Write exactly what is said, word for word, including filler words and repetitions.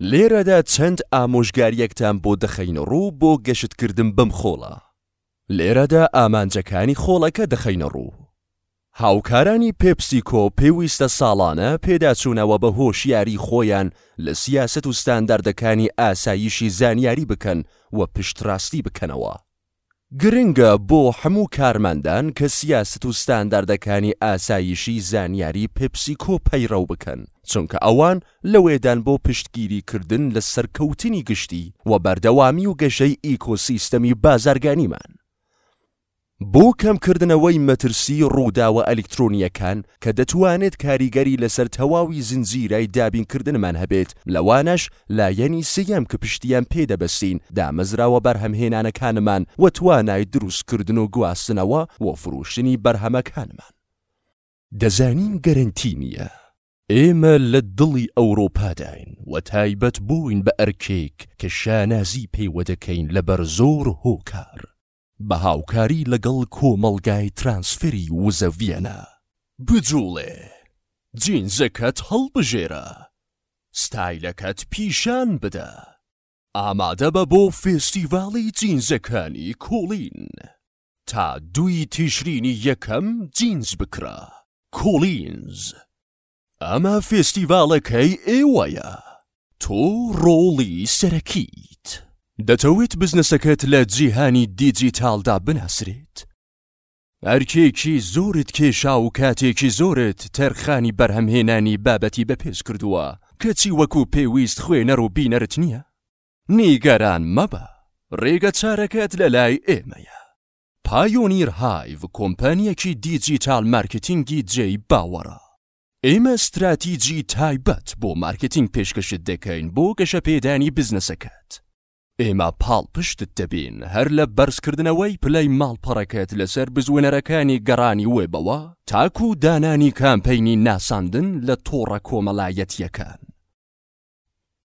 لێرەدا چەند ئامۆژگاریەکتان بۆ دەخەینە ڕوو بۆ گەشتکردن بەم خۆڵە. لێرەدا ئامانجەکانی خۆڵەکە دەخەینە ڕوو. هاوکارانی پێپسیکۆ پێویستە ساڵانە پێداچوونەوە بە هۆشیاری خۆیان لە سیاسەت و ستانداردەکانی ئاسایشی زانیاری بکەن و پشتڕاستی بکەنەوە. گرنگە بۆ هەموو کارمەندان کە سیاسەت و ستانداردەکانی ئاسایشی زانیاری پێپسیکۆ پەیڕەو بکەن، چونکە ئەوان لەوێدان بۆ پشتگیریکردن لە سەرکەوتنی گشتی و بەردەوامی و گەشەی ئیکۆسیستەمی بازرگانیمان. بۆ کەمکردنەوەی مەترسی ڕووداوە ئەلیکترۆنیەکان کە دەتوانێت کاریگەری لەسەر تەواوی زنجیرەی دابینکردنمان هەبێت، لەوانەش لایەنی سێیەم کە پشتیان پێدەبەستین، دامەزراوە بەرهەمهێنانەکانمان و توانای دروستکردن و گواستنەوە و فرۆشتنی بەرهەمەکانمان. دەزانین گەرەنتی نییە. ئێمە لە دڵی ئەوروپاداین و تایبەت بووین بە ئەرکێک کە شانازی پێوە دەکەین لەبەر زۆر هۆکار. بە هاوکاری لەگەڵ کۆمەڵگای ترانسفێری وزە ڤیەنا. بجوڵێ، جینزەکەت هەڵبژێرە، ستایلەکەت پیشان بدە. ئامادە بە بۆ فێستیڤاڵی جینزەکانی کۆڵین. تا دووی تیشرینی یەکەم جینز بکڕە. کۆڵینز. ئەمە فێستیڤاڵەکەی ئێوەیە. تۆ ڕۆڵی سەرەکیت. دەتەوێت بزنسەکەت لە جیهانی دیجیتالدا بناسرێت؟ ئەرکێکی زۆرت کێشا و کاتێکی زۆرت تەرخانی بەرهەمهێنانی بابەتی بەپێز کردووە، کەچی وەکو پێویست خوێنەر و بینەرت نییە؟ نیگەران مەبە، ڕێگە چارەکەت لە لای ئێمەیە. پایۆنیر هایڤ کۆمپانیەکی دیجیتال مارکتینگی جێی باوەڕە. ئێمە ستراتیجی تایبەت بۆ مارکتینگ پێشکەشت دەکەین بۆ گەشەپێدانی بزنسەکەت. ئێمە پاڵپشتت دەبین هەر لە بەرزکردنەوەی پلەی ماڵپەڕەکەت لەسەر بزوێنەرەکانی گەڕانی وێبەوە تاکو دانانی کامپەینی ناساندن لە تۆڕە کۆمەڵایەتیەکان.